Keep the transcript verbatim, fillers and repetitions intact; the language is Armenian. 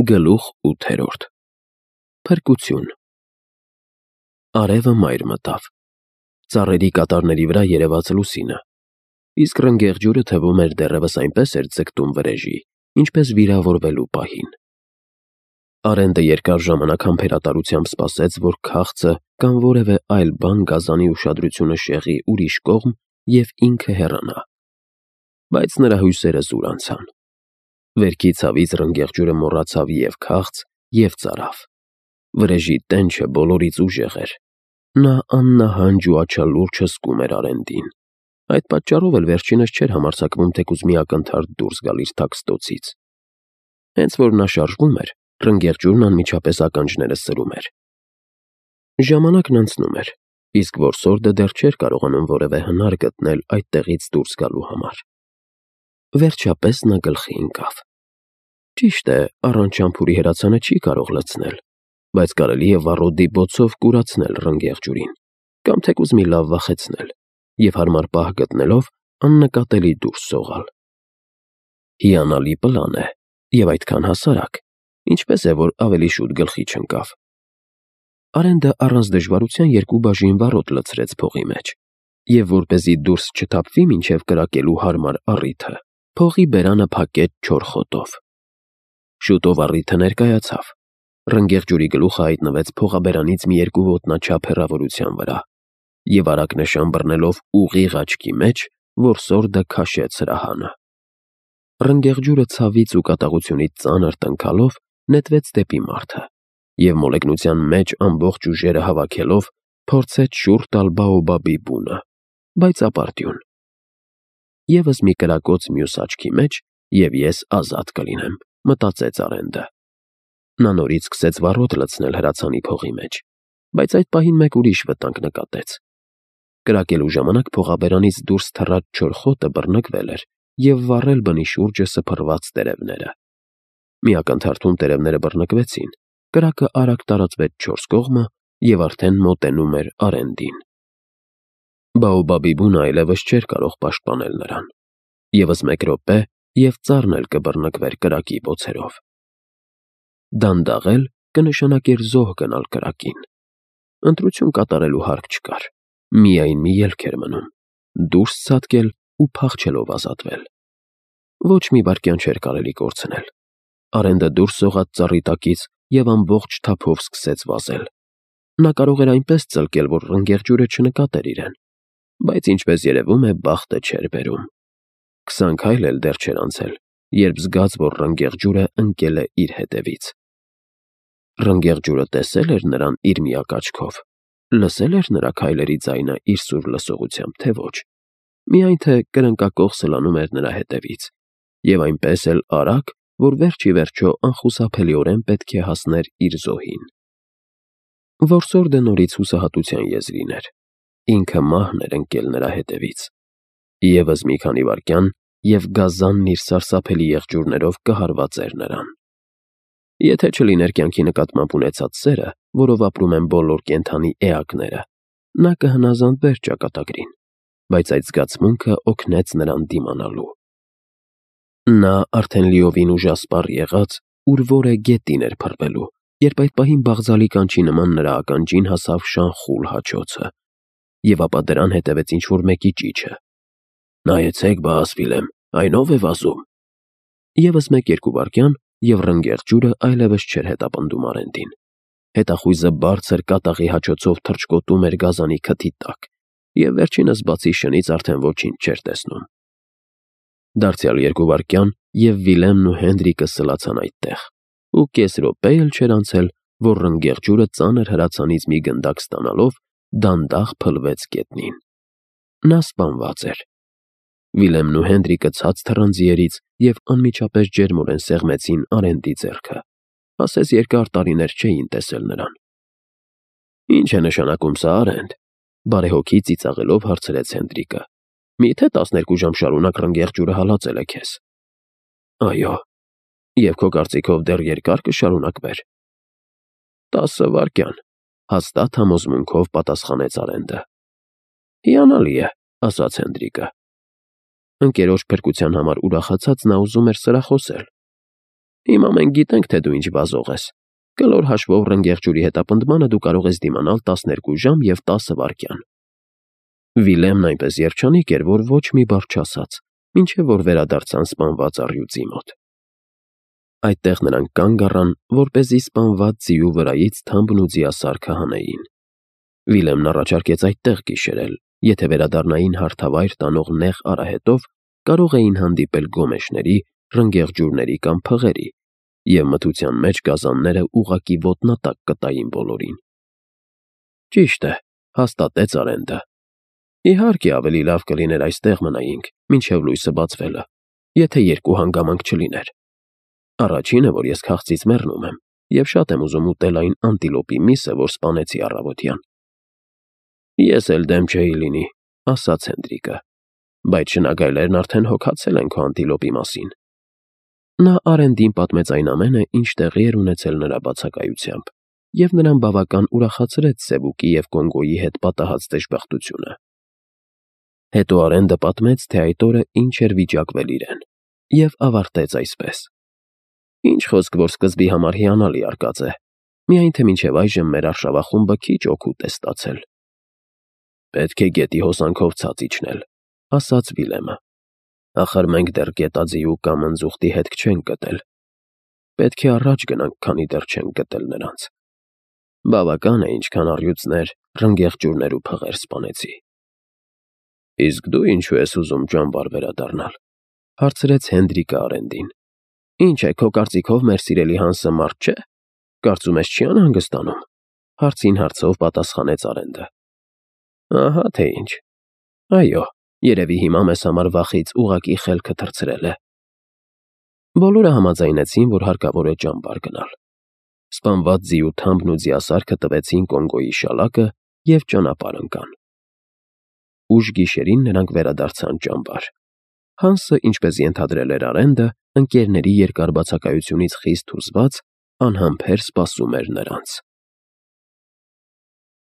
Գլուխ ութերորդ Փրկություն Արևը մայր մտավ, ծառերի կատարների վրա երևաց լուսինը, իսկ ռնգեղ ջուրը թվում էր դեռևս այնպես էր ձգտում վրեժի, ինչպես վիրավորվելու պահին։ Արենդը երկար ժամանակ համբերատարությամբ սպասեց, որ քաղցը կամ որևէ այլ բան գազանի ուշադրությունը շեղի ուրիշ կողմ և ինքը հեռանա, բայց նրա հույսերը զուր անցան։ Վերքի ցավից ռնգեղ ջուրը մոռացավ և քաղց, և ծարավ։ Վրեժի տենչը բոլորից ուժեղ էր։ Նա աննահանջ ու աչալուրջ հսկում էր Արենդին։ Այդ պատճառով էլ վերջինս չէր համարձակվում թեկուզ մի ակնթարթ դուրս գալ իր թաքստոցից։ Հենց որ նա շարժվում էր, ռնգեղ ջուրն անմիջապես ականջները սրում էր։ Ժամանակն անցնում էր, իսկ որսորդը դեռ չէր կարողանում որևէ հնար գտնել այդտեղից դուրս գալու համար։ Վերջապես նա գլխի ընկավ. ճիշտ է, առանց շամփուրի հրացանը չի կարող լցնել, բայց կարելի է վառոդի բոցով կուրացնել ռնգեղ ջուրին, կամ թեկուզ մի լավ վախեցնել և հարմար պահ գտնելով աննկատելի դուրս սողալ։ Հիանալի պլան է, և այդքան հասարակ, ինչպես է, որ ավելի շուտ գլխի չընկավ։ Արենդը առանց դժվարության երկու բաժին վառոդ լցրեց փողի մեջ, և որպեսզի դուրս չթափվի մինչև կրակելու հարմար առիթը, փողի բերանը փակեց չոր խոտով։ Շուտով առիթը ներկայացավ։ Ռնգեղ ջուրի գլուխը հայտնվեց փողաբերանից մի երկու ոտնաչափ հեռավորության վրա, և արագ նշան բռնելով ուղիղ աչքի մեջ, որսորդը քաշեց հրահանը։ Ռնգեղ ջուրը ցավից ու կատաղությունից ծանր տնքալով նետվեց դեպի մարդը, և մոլեգնության մեջ ամբողջ ուժերը հավաքելով փորձեց շուռ տալ Բաոբաբի բունը, բայց ապարդյուն։ Եվս մի կրակոց մյուս աչքի մեջ, և ես ազատ կլինեմ, մտածեց Արենդը։ Նա նորից սկսեց վառոդ լցնել հրացանի փողի մեջ, բայց այդ պահին մեկ ուրիշ վտանգ նկատեց։ Կրակելու ժամանակ փողաբերանից դուրս թռած չոր խոտը բռնկվել էր և վառել բնի շուրջը սփռված տերևները։ Մի ակնթարթում տերևները բռնկվեցին, կրակը արագ տարածվեց չորս կողմը և արդեն մոտենում էր Արենդին։ Բաոբաբի բունը այլևս չէր կարող պաշտպանել նրան։ Եվս մեկ րոպե, և ծառն էլ կբռնկվեր կրակի բոցերով։ Դանդաղել կնշանակեր զոհ գնալ կրակին։ Ընտրություն կատարելու հարկ չկար։ Միայն մի ելք էր մնում՝ դուրս ցատկել ու փախչելով ազատվել։ Ոչ մի վայրկյան չէր կարելի կորցնել։ Արենդը դուրս սողաց ծառի տակից և ամբողջ թափով սկսեց վազել։ Նա կարող էր այնպես ծլկել, որ ռնգեղ ջուրը չնկատեր իրեն, բայց, ինչպես երևում է, բախտը չէր բերում։ Քսան քայլ էլ դեռ չէր անցել, երբ զգաց, որ ռնգեղ ջուրը ընկել է իր հետևից։ Ռնգեղ ջուրը տեսե՞լ էր նրան իր միակ աչքով, լսե՞լ էր նրա քայլերի ձայնը իր սուր լսողությամբ, թե ոչ։ Միայն թե կրնկակոխ սլանում էր նրա հետևից, և այնպես էլ արագ, որ վերջ ի վերջո անխուսափելիորեն պետք է հասներ իր զոհին։ Որսորդը նորից հուսահատության եզրին էր։ Ինքը մահն էր ընկել նրա հետևից։ Եվս մի քանի վայրկյան, և գազանն իր սարսափելի եղջյուրներով կհարվածեր նրան։ Եթե չլիներ կյանքի նկատմամբ ունեցած սերը, որով ապրում են բոլոր կենդանի էակները, նա կհնազանդվեր ճակատագրին, բայց այդ զգացմունքը օգնեց նրան դիմանալու։ Նա արդեն լիովին ուժասպառ եղած ուր-որ է գետին էր փռվելու, երբ այդ պահին բաղձալի կանչի նման նրա ականջին հասավ շան խուլ հաչոցը, և ապա դրան հետևեց ինչ-որ մեկի ճիչը. «Նայեցեք, բա ասվիլեմ, այն ո՞վ է վազում»։ Եվս մեկ-երկու վայրկյան, և ռնգեղ ջուրը այլևս չէր հետապնդում Արենդին։ Հետախույզը բարձր կատաղի հաչոցով թռչկոտում էր գազանի քթի տակ, և վերջինս բացի շնից արդեն ոչինչ չէր տեսնում։ Դարձյալ երկու վայրկյան, և Վիլեմն ու Հենրիկը սլացան այդտեղ, ու կես րոպե էլ չէր անցել, որ ռնգեղ ջուրը ծանր հրացանից մի գնդակ ստանալով դանդաղ փլվեց գետնին։ Նա սպանված էր։ Վիլեմն ու Հենրիկը ցած թռան ձիերից և անմիջապես ջերմորեն սեղմեցին Արենդի ձեռքը, ասես երկար տարիներ չէին տեսել նրան։ «Ի՞նչ է նշանակում սա, Արենդ», բարեհոգի ծիծաղելով հարցրեց Հենրիկը։ «Մի՞թե տասներկու ժամ շարունակ ռնգեղ ջուրը հալածել է քեզ»։ «Այո»։ «Եվ քո կարծիքով դեռ երկա՞ր կշարունակվեր»։ «Տասը վայրկյան», հաստատ համոզմունքով պատասխանեց Արենդը։ «Հիանալի է», ասաց Հենրիկը։ Ընկերոջ փրկության համար ուրախացած նա ուզում էր սրախոսել։ Հիմա մենք գիտենք, թե դու ինչ վազող ես։ Կլոր հաշվով ռնգեղջյուրի հետապնդմանը դու կարող ես դիմանալ տասներկու ժամ և տասը վայրկյան։ Վիլեմն այնպես երջանիկ էր, որ ոչ մի բառ չասաց, մինչև որ վերադարձան սպանված առյուծի մոտ։ Այդտեղ նրանք կանգ առան, որպեսզի սպանված ձիու վրայից թամբն ու ձիասարքը հանեին։ Վիլեմն առաջարկեց այդտեղ գիշերել, եթե վերադառնային հարթավայր տանող նեղ արահետով, կարող էին հանդիպել գոմեշների, ռնգեղջյուրների կամ փղերի, և մթության մեջ գազանները ուղղակի ոտնատակ կտային բոլորին։ Ճիշտ է, հաստատեց Արենդը։ Իհարկե, ավելի լավ կլիներ այստեղ մնայինք, մինչև լույսը բացվելը, եթե երկու հանգամանք չլիներ։ Առաջինը, որ ես քաղցից մեռնում եմ, և շատ եմ ուզում ուտել այն անտիլոպի միսը, որ սպանեցի առավոտյան։ Ես էլ դեմ չէի լինի, ասաց Հենդրիկը, բայց շնագայլներն արդեն հոգացել են քո անտիլոպի մասին։ Նա Արենդին պատմեց այն ամենը, ինչ տեղի էր ունեցել նրա բացակայությամբ, և նրան բավական ուրախացրեց Սևուկի և Կոնգոյի հետ պատահած դժբախտությունը։ Հետո Արենդը պատմեց, թե այդ օրը ինչ էր վիճակվել իրեն, և ավարտեց այսպես. Ինչ խոսք, որ սկզբի համար հիանալի արկած է, միայն թե մինչև այժմ մեր արշավախումբը քիչ օգուտ է ստացել։ Պետք է գետի հոսանքով ցած իջնել, ասաց Վիլեմը։ Ախր մենք դեռ գետաձիու կամ ընձուղտի հետք չենք գտել։ Պետք է առաջ գնանք, քանի դեռ չենք գտել նրանց։ Բավական է, ինչքան առյուծներ, ռնգեղջյուրներ ու փղեր սպանեցի։ Իսկ դու ինչու ես ուզում ճամբար վերադառնալ, հարցրեց Հենդրիկը Արենդին։ Ինչ է, քո կարծիքով մեր սիրելի Հանսը մարդ չէ։ Կարծում ես չի անհանգստանում, հարցին հարցով պատասխանեց Արենդը։ Ահա թե ինչ։ Այո, երևի հիմա մեզ համար վախից ուղղակի խելքը թռցրել է։ Բոլորը համաձայնեցին, որ հարկավոր է ճամբար գնալ։ Սպանված ձիու թամբն ու ձիասարքը տվեցին Կոնգոյի շալակը և ճանապարհ ընկան։ Ուշ գիշերին նրանք վերադարձան ճամբար։ Հանսը, ինչպես ենթադրել էր Արենդը, ընկերների երկար բացակայությունից խիստ հուզված, անհամբեր սպասում էր նրանց։